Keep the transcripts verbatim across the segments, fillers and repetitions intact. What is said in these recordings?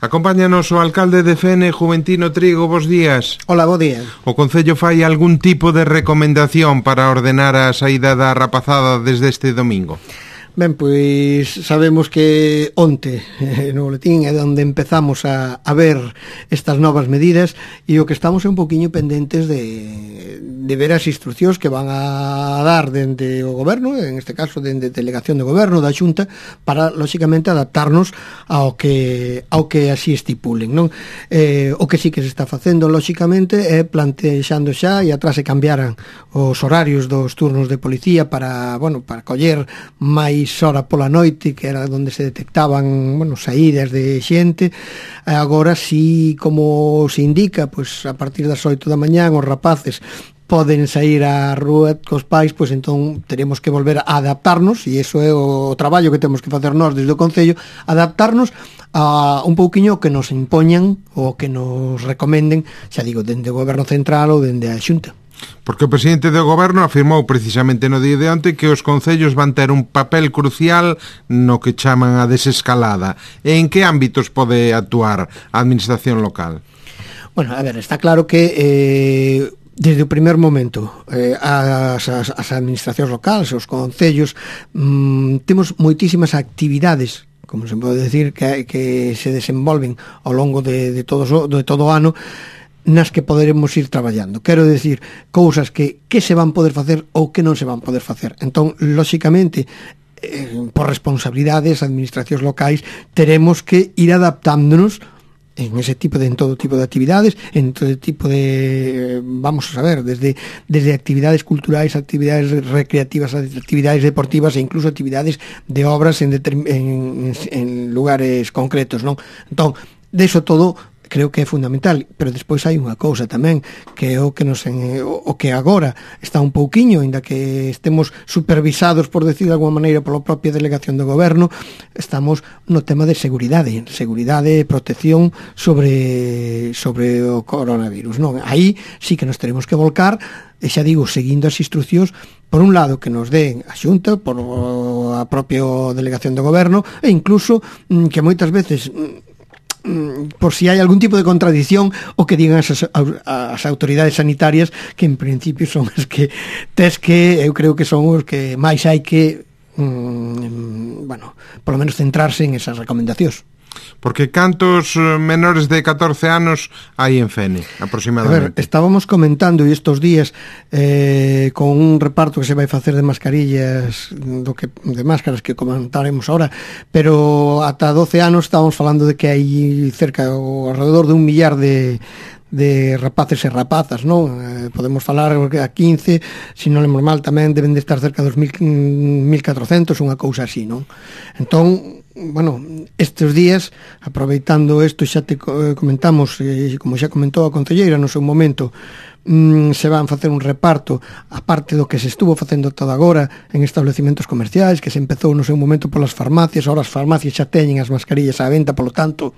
Acompáñanos o alcalde de Fene, Juventino Trigo, bos días. Hola, bo día. O Concello fai algún tipo de recomendación para ordenar a saída da rapazada desde este domingo? Ben, pois sabemos que onte eh, no boletín é onde empezamos a, a ver estas novas medidas e o que estamos é un poquinho pendentes de, de ver as instruccións que van a dar dende o goberno, en este caso dende delegación de goberno da Xunta, para lóxicamente adaptarnos ao que ao que así estipulen, non? Eh, o que sí que se está facendo lóxicamente é plantexando xa e atrás se cambiaran os horarios dos turnos de policía para, bueno, para coller máis hora pola noite, que era onde se detectaban, bueno, saídas de xente. Agora sí, como se indica, pois a partir das oito da mañán os rapaces poden sair á rúa cos pais, pois entón teremos que volver a adaptarnos, e iso é o traballo que temos que facer nós desde o Concello, adaptarnos a un pouquiño que nos impoñan ou que nos recomenden, xa digo, dende o Goberno Central ou dende a Xunta. Porque o presidente do goberno afirmou precisamente no día de onte que os concellos van ter un papel crucial no que chaman a desescalada. E en que ámbitos pode actuar a administración local? Bueno, a ver, está claro que eh, desde o primer momento eh, as, as, as administracións locales, os concellos, mmm, temos moitísimas actividades, como se pode decir, que, que se desenvolven ao longo de, de, todo, de todo o ano, nas que poderemos ir traballando. Quero decir, cousas que, que se van poder facer ou que non se van poder facer. Entón, lóxicamente, eh, por responsabilidades, administracións locais, teremos que ir adaptándonos en ese tipo de, en todo tipo de actividades, en todo tipo de, vamos a saber, desde, desde actividades culturais, actividades recreativas, actividades deportivas e incluso actividades de obras en, en, en lugares concretos, non? Entón, de eso todo creo que é fundamental, pero despois hai unha cousa tamén, que é o que nos en, o que agora está un pouquiño, ainda que estemos supervisados, por decir de alguma maneira, pola propia delegación do goberno, estamos no tema de seguridade, seguridade e protección sobre sobre o coronavirus, non? Aí sí que nos teremos que volcar, e xa digo, seguindo as instruccións, por un lado que nos den a Xunta, por a propia delegación do goberno, e incluso que moitas veces, por si hai algún tipo de contradición, o que digan as, as autoridades sanitarias, que en principio son as que tes que, eu creo que son os que máis hai que mm, bueno, polo menos centrarse en esas recomendacións. Porque cantos menores de catorce anos hai en Fene, aproximadamente? A ver, estábamos comentando estes días eh, con un reparto que se vai facer de mascarillas, do que, de máscaras que comentaremos ahora, pero ata doce anos estábamos falando de que hai cerca ou alrededor de un millar de de rapaces e rapazas, non? Eh, podemos falar a quince, se non lembro mal, tamén deben de estar cerca dos mil catrocentos, unha cousa así, non? Entón, bueno, estes días, aproveitando isto, xa te comentamos, eh, como xa comentou a concelleira no seu momento, mm, se van facer un reparto, aparte do que se estuvo facendo todo agora en establecimentos comerciais, que se empezou no seu momento polas farmacias, ahora as farmacias xa teñen as mascarillas á venta, polo tanto,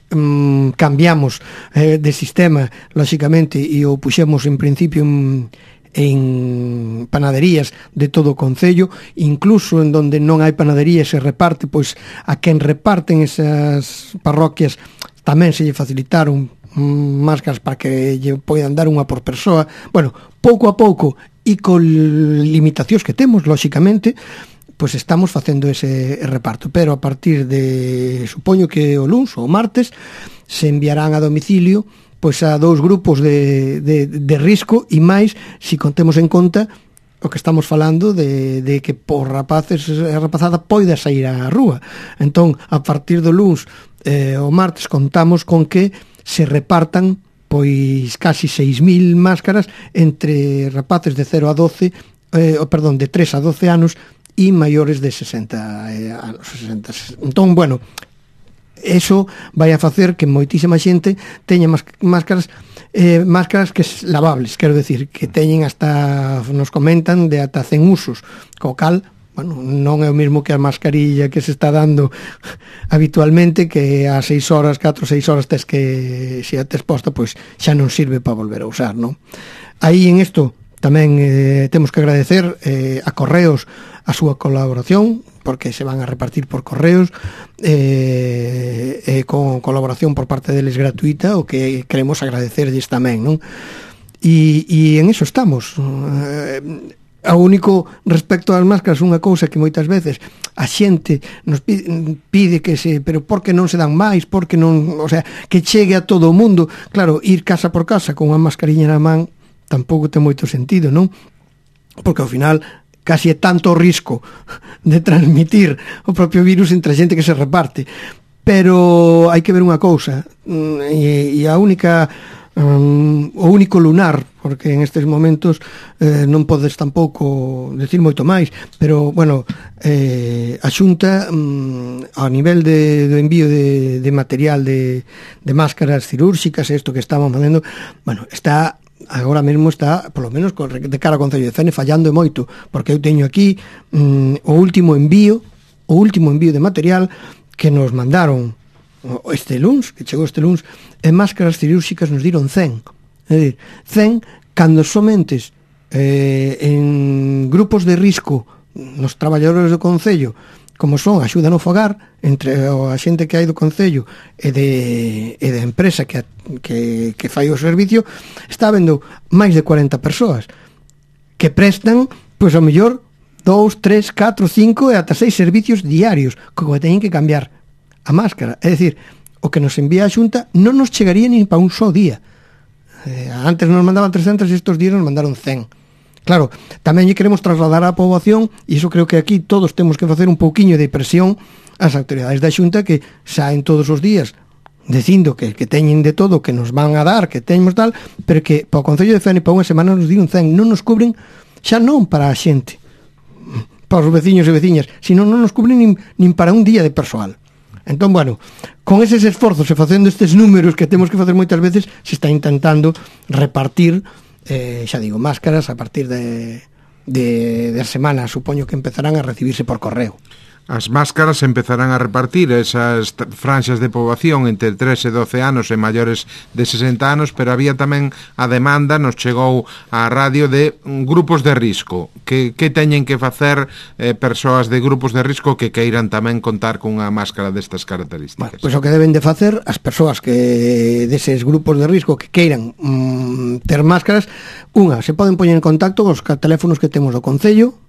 Mm, cambiamos eh, de sistema, lóxicamente, e o puxemos en principio en, en panaderías de todo o concello, incluso en donde non hai panadería se reparte, pois a quen reparten esas parroquias tamén se lle facilitaron mm, máscaras para que lle poidan dar unha por persoa. Bueno, pouco a pouco e con limitacións que temos, lóxicamente, pois estamos facendo ese reparto, pero a partir de, supoño que o luns ou o martes, se enviarán a domicilio pois a dous grupos de, de, de risco, e máis se contemos en conta o que estamos falando de, de que por rapaces e rapazada poida sair á rúa. Entón, a partir do luns eh, o martes contamos con que se repartan pois casi seis mil máscaras entre rapaces de cero a doce, eh, perdón, de tres a doce anos, e maiores de sesenta anos. sesenta. Entón, bueno, eso vai a facer que moitísima xente teña máscaras eh, máscaras que lavables, quero decir, que teñen hasta, nos comentan, de ata cen usos, co cal, bueno, non é o mesmo que a mascarilla que se está dando habitualmente, que a seis horas, catro, seis horas tes que, se a tes posta, pois xa non sirve para volver a usar, non? Aí en isto tamén eh, temos que agradecer eh, a Correos a súa colaboración, porque se van a repartir por correos, eh, eh, con colaboración por parte deles gratuita, o que queremos agradecerlles tamén, non? E, e en eso estamos. Eh, O único respecto ás máscaras, unha cousa que moitas veces a xente nos pide, pide que se, pero por que non se dan máis, por que non, o sea, que chegue a todo o mundo. Claro, ir casa por casa con unha mascariña na man tampouco ten moito sentido, non? Porque ao final casi é tanto o risco de transmitir o propio virus entre a xente que se reparte. Pero hai que ver unha cousa, e, e a única um, o único lunar, porque en estes momentos eh, non podes tampouco decir moito máis, pero, bueno, eh, a Xunta, mm, a nivel de, do envío de, de material de, de máscaras cirúrxicas, isto que estamos facendo, bueno, está, agora mesmo está, polo menos de cara ao Concello de Fene, fallando moito, porque eu teño aquí mm, o último envío, o último envío de material que nos mandaron este luns, que chegou este luns, e máscaras cirúrxicas nos diron cen. É dicir, cen cando somentes eh, en grupos de risco nos traballadores do Concello, como son a axuda no fogar, entre a xente que hai do Concello e de, e da empresa que, que, que fai o servicio, está habendo máis de cuarenta persoas que prestan, pois ao mellor dous, tres, catro, cinco e ata seis servicios diarios, como teñen que cambiar a máscara. É dicir, o que nos envía a Xunta non nos chegaría nin para un só día. Eh, antes nos mandaban trescentos e estos días nos mandaron cen. Claro, tamén lle queremos trasladar á poboación, e iso creo que aquí todos temos que facer un pouquiño de presión ás autoridades da Xunta, que saen todos os días dicindo que, que teñen de todo, que nos van a dar, que teñemos tal, pero que para o Concello de Fene para unha semana nos diron cen, non nos cubren, xa non para a xente, para os veciños e veciñas, sino non nos cubren nin, nin para un día de persoal. Entón, bueno, con eses esforzos e facendo estes números que temos que facer moitas veces, se está intentando repartir, eh, xa digo, máscaras a partir de, de, de semana, supoño que empezarán a recibirse por correo. As máscaras empezarán a repartir esas franxas de poboación entre tres e doce anos e maiores de sesenta anos, pero había tamén a demanda, nos chegou á radio, de grupos de risco. Que, que teñen que facer eh, persoas de grupos de risco que queiran tamén contar cunha máscara destas características? Bueno, pois o que deben de facer as persoas que deses grupos de risco que queiran mm, ter máscaras, unha, se poden poñer en contacto cos teléfonos que temos do Concello,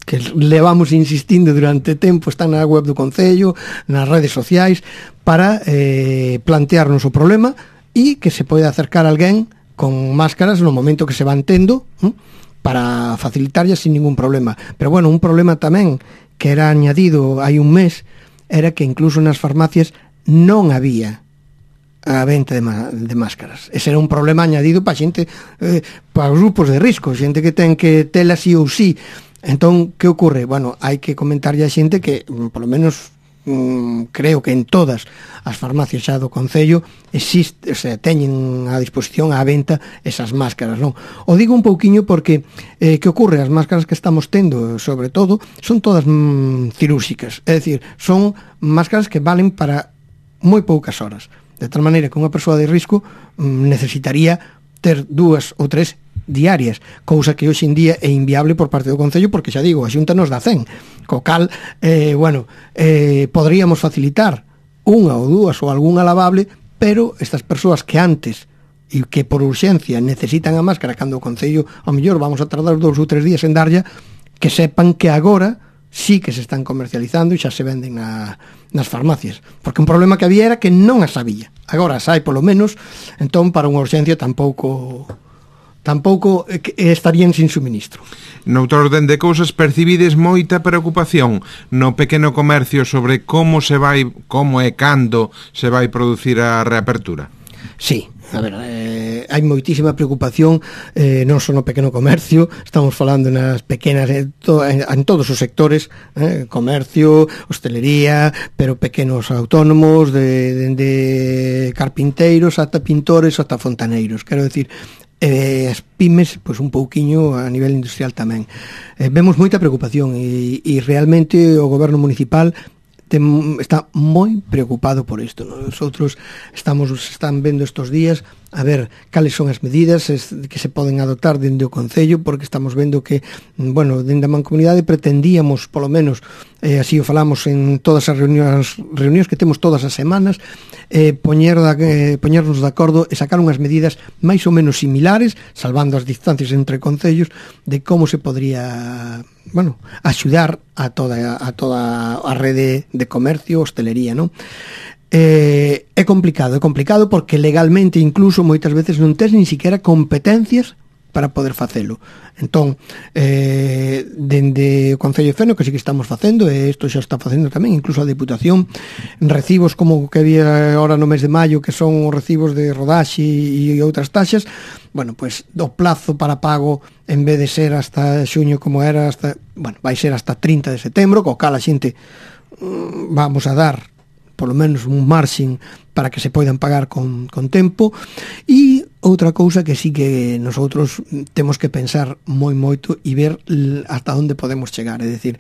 que levamos insistindo durante tempo, están na web do Concello, nas redes sociais, para eh, plantearnos o problema e que se pode acercar alguén con máscaras no momento que se van tendo, ¿eh? Para facilitarlle sin ningún problema. Pero bueno, un problema tamén que era añadido hai un mes era que incluso nas farmacias non había a venta de, de máscaras. Ese era un problema añadido para xente, eh, para os grupos de risco, xente que ten que tela sí ou sí. Entón, que ocorre? Bueno, hai que comentarlle a xente que, polo menos, mm, creo que en todas as farmacias xa do Concello existe, o sea, teñen a disposición á venta esas máscaras, non? O digo un pouquiño porque, eh, que ocorre? As máscaras que estamos tendo, sobre todo, son todas mm, cirúrxicas, é dicir, son máscaras que valen para moi poucas horas, de tal maneira que unha persoa de risco mm, necesitaría ter dúas ou tres diarias, cousa que hoxe en día é inviable por parte do Concello, porque xa digo, a Xunta nos dá cen, co cal, eh, bueno, eh, poderíamos facilitar unha ou dúas ou algunha lavable, pero estas persoas que antes e que por urxencia necesitan a máscara, cando o Concello ao mellor vamos a tardar dous ou tres días en darlla, que sepan que agora sí que se están comercializando e xa se venden na, nas farmacias, porque un problema que había era que non as sabía, agora as hai polo menos, entón para unha urxencia tampouco tampouco estarían sin suministro. Noutro orden de cousas, percibides moita preocupación no pequeno comercio sobre como se vai, como e cando se vai producir a reapertura? Sí, a ver, eh, hai moitísima preocupación, eh, non só no pequeno comercio, estamos falando nas pequenas, en, to, en, en todos os sectores, eh, comercio, hostelería, pero pequenos autónomos, de, de, de carpinteiros, ata pintores, ata fontaneiros, quero decir, eh, as pymes, pois un pouquiño a nivel industrial tamén. Eh, vemos moita preocupación e, e realmente o goberno municipal tem, está moi preocupado por isto. Nosotros estamos, están vendo estos días a ver cales son as medidas que se poden adoptar dende o Concello, porque estamos vendo que, bueno, dende a Mancomunidade pretendíamos, polo menos, eh, así o falamos en todas as reunións, reunións que temos todas as semanas, eh, poñer da, eh, poñernos de acordo e sacar unhas medidas máis ou menos similares, salvando as distancias entre concellos, de como se podría, bueno, axudar a toda a toda a rede de comercio, hostelería, non? Eh, é complicado, é complicado porque legalmente incluso moitas veces non tes nin siquiera competencias para poder facelo. Entón, eh, dende o Concello de Fene, que sí que estamos facendo, e isto xa está facendo tamén, incluso a Deputación, recibos como que había ahora no mes de maio, que son os recibos de rodaxe e outras taxas, bueno, pois pues, do plazo para pago, en vez de ser hasta xuño como era, hasta, bueno, vai ser hasta trinta de setembro, co cal a xente mm, vamos a dar polo menos un marxen para que se poidan pagar con, con tempo. E outra cousa que sí que nosotros temos que pensar moi moito e ver hasta onde podemos chegar, é dicir,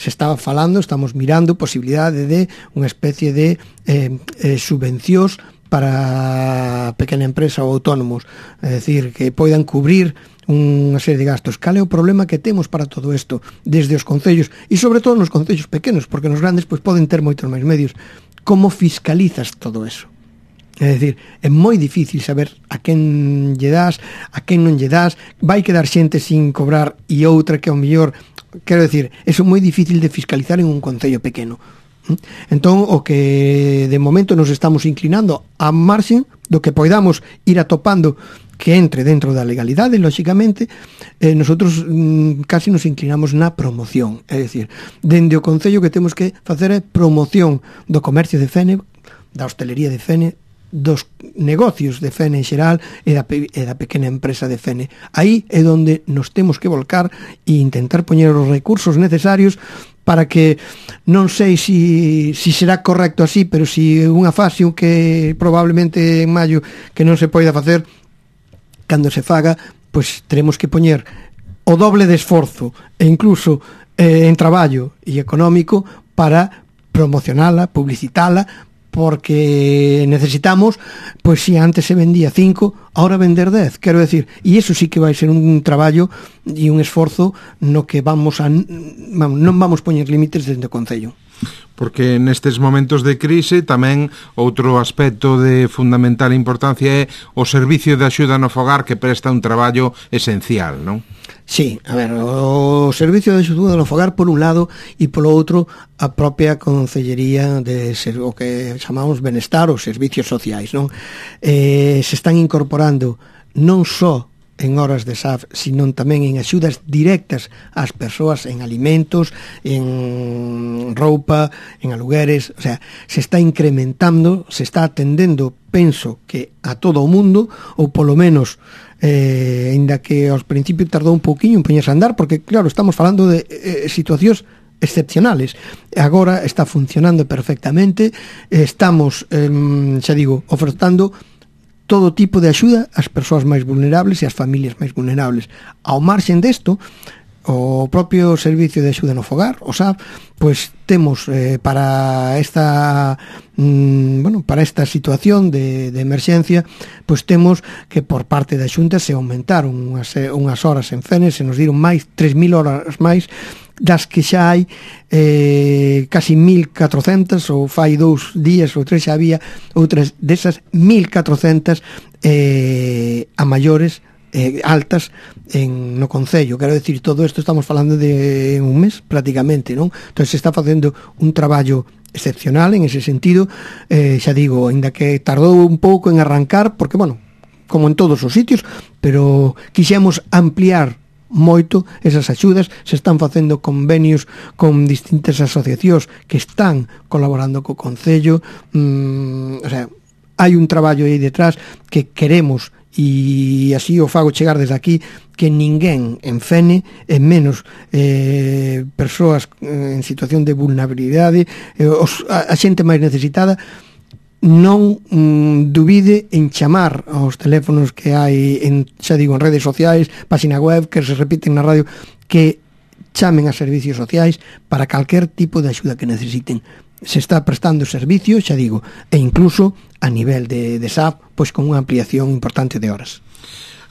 se estaba falando, estamos mirando posibilidade de unha especie de eh, eh, subvencións para pequena empresa ou autónomos, é dicir, que poidan cubrir unha serie de gastos. Cal é o problema que temos para todo isto desde os concellos e sobre todo nos concellos pequenos, porque nos grandes pois poden ter moitos máis medios? Como fiscalizas todo eso? É dicir, é moi difícil saber a quen lle das, a quen non lle das, vai quedar xente sin cobrar e outra que ao mellor, quero dicir, eso é moi difícil de fiscalizar en un concello pequeno. Entón, o que de momento nos estamos inclinando a marxen do que poidamos ir atopando que entre dentro da legalidade, lóxicamente, eh, nosotros mm, casi nos inclinamos na promoción, é dicir, dende o Concello que temos que facer é promoción do comercio de Fene, da hostelería de Fene, dos negocios de Fene en xeral e da, e da pequena empresa de Fene. Aí é onde nos temos que volcar e intentar poñer os recursos necesarios para que, non sei se si, si será correcto así, pero si unha fase que probablemente en maio que non se poida facer, cando se faga, pois teremos que poñer o doble de esforzo e incluso eh, en traballo e económico para promocionala, publicitala, porque necesitamos, pois si antes se vendía cinco, ahora vender dez, quero decir, e iso sí que vai ser un traballo e un esforzo no que vamos a non vamos poñer límites dentro do Concello. Porque nestes momentos de crise tamén outro aspecto de fundamental importancia é o servicio de axuda no fogar, que presta un traballo esencial, non? Sí, a ver, o servicio de axuda no fogar por un lado e polo outro a propia Concellería de ser, o que chamamos benestar ou servicios sociais, non? Eh, se están incorporando non só en horas de S A F, sino tamén en axudas directas ás persoas, en alimentos, en roupa, en alugueres, o sea, se está incrementando, se está atendendo, penso que a todo o mundo, ou polo menos eh, ainda que aos principios tardou un pouquiño en poñerse a andar, porque claro, estamos falando de eh, situacións excepcionales. Agora está funcionando perfectamente, estamos, eh, xa digo, ofertando todo tipo de axuda ás persoas máis vulnerables e ás familias máis vulnerables. Ao marxen desto, o propio Servicio de Axuda no Fogar, o S A F, pois temos eh, para esta mm, bueno, para esta situación de, de emerxencia, pois temos que por parte da Xunta se aumentaron unhas, unhas horas en Fene, se nos diron máis tres mil horas máis, das que xa hai eh, casi mil catrocentas, ou fai dous días ou tres xa había outras desas mil catrocentas eh, a maiores eh, altas en, no Concello. Quero decir, todo isto estamos falando de un mes prácticamente, non? Entón se está facendo un traballo excepcional en ese sentido, eh, xa digo, ainda que tardou un pouco en arrancar, porque, bueno, como en todos os sitios, pero quixemos ampliar moito esas axudas, se están facendo convenios con distintas asociacións que están colaborando co Concello, mm, o sea, hai un traballo aí detrás que queremos, e así o fago chegar desde aquí, que ninguén en Fene, en menos eh, persoas en situación de vulnerabilidade, eh, os, a, a xente máis necesitada, non mm, dubide en chamar aos teléfonos que hai en, xa digo, en redes sociais, página web que se repiten na radio, que chamen a servicios sociais para calquer tipo de axuda que necesiten. Se está prestando servicio, xa digo, e incluso a nivel de, de S A P, pois con unha ampliación importante de horas.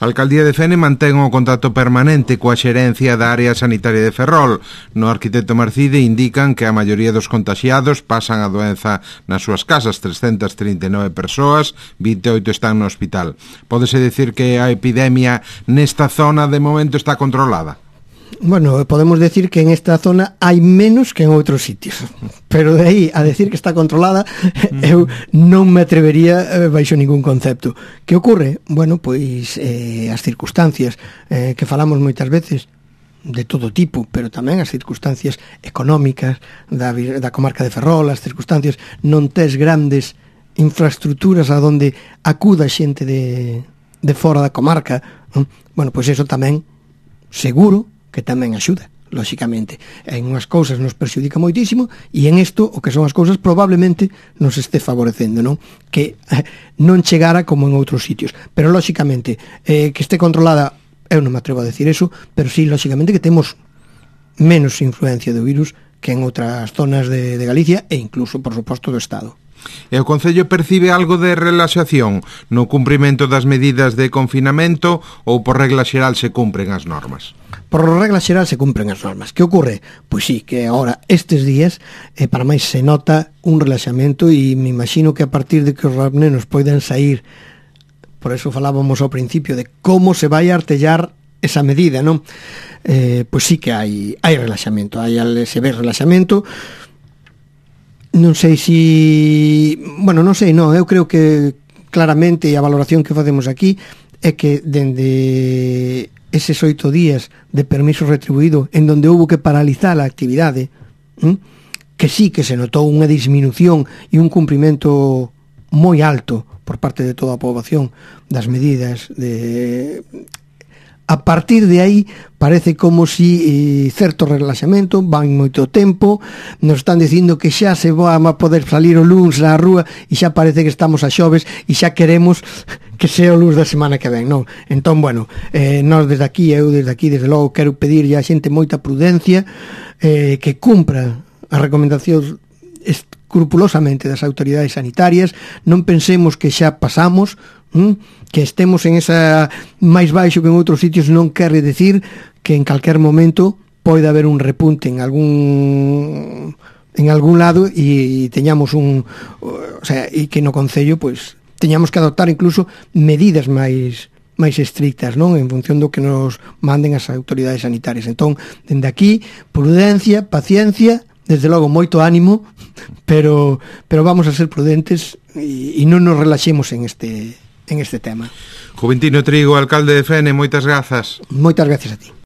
A Alcaldía de Fene mantén o contacto permanente coa xerencia da área sanitaria de Ferrol. No arquitecto Marcide indican que a maioría dos contaxiados pasan a doenza nas súas casas, trescentas trinta e nove persoas, vinte e oito están no hospital. Pódese decir que a epidemia nesta zona de momento está controlada? Bueno, podemos decir que en esta zona hai menos que en outros sitios, pero de aí a decir que está controlada eu non me atrevería eh, baixo ningún concepto. Que ocorre? Bueno, pois eh, as circunstancias eh, que falamos moitas veces de todo tipo, pero tamén as circunstancias económicas da, da comarca de Ferrol, as circunstancias non tes grandes infraestructuras a donde acuda xente de, de fora da comarca, non? Bueno, pois eso tamén seguro que tamén axuda, lóxicamente. En unhas cousas nos perxudica moitísimo e en isto, o que son as cousas, probablemente nos este favorecendo, non? Que eh, non chegara como en outros sitios. Pero, lóxicamente, eh, que este controlada, eu non me atrevo a decir eso, pero sí, lóxicamente, que temos menos influencia do virus que en outras zonas de, de Galicia e incluso, por suposto, do Estado. E o Concello percibe algo de relaxación no cumprimento das medidas de confinamento ou por regla xeral se cumpren as normas? Por regla xeral se cumpren as normas. Que ocorre? Pois sí, que agora estes días eh, para máis se nota un relaxamento e me imagino que a partir de que os nenos poidan sair, por eso falábamos ao principio de como se vai a artellar esa medida, non? Eh, pois sí que hai, hai relaxamento, hai se ve relaxamento. Non sei si... Bueno, non sei, non, eu creo que claramente a valoración que facemos aquí é que dende eses oito días de permiso retribuído en donde houve que paralizar a actividade, ¿m? Que sí que se notou unha disminución e un cumprimento moi alto por parte de toda a poboación das medidas de... A partir de aí parece como si eh, certo relaxamento, van moito tempo, nos están dicindo que xa se va a poder salir o luns á rúa e xa parece que estamos a xoves e xa queremos que sea o luns da semana que ven, non? Entón, bueno, eh, nós desde aquí, eu desde aquí, desde logo, quero pedir a xente moita prudencia, eh, que cumpra as recomendacións escrupulosamente das autoridades sanitarias, non pensemos que xa pasamos, ¿Mm? Que estemos en esa máis baixo que en outros sitios non quere decir que en calquer momento pode haber un repunte en algún en algún lado e teñamos un, o sea, e que no Concello pues teñamos que adoptar incluso medidas máis máis estrictas, non? En función do que nos manden as autoridades sanitarias. Entón, dende aquí, prudencia, paciencia, desde logo moito ánimo, pero pero vamos a ser prudentes e, e non nos relaxemos en este en este tema. Juventino Trigo, alcalde de Fene, moitas grazas. Moitas gracias a ti.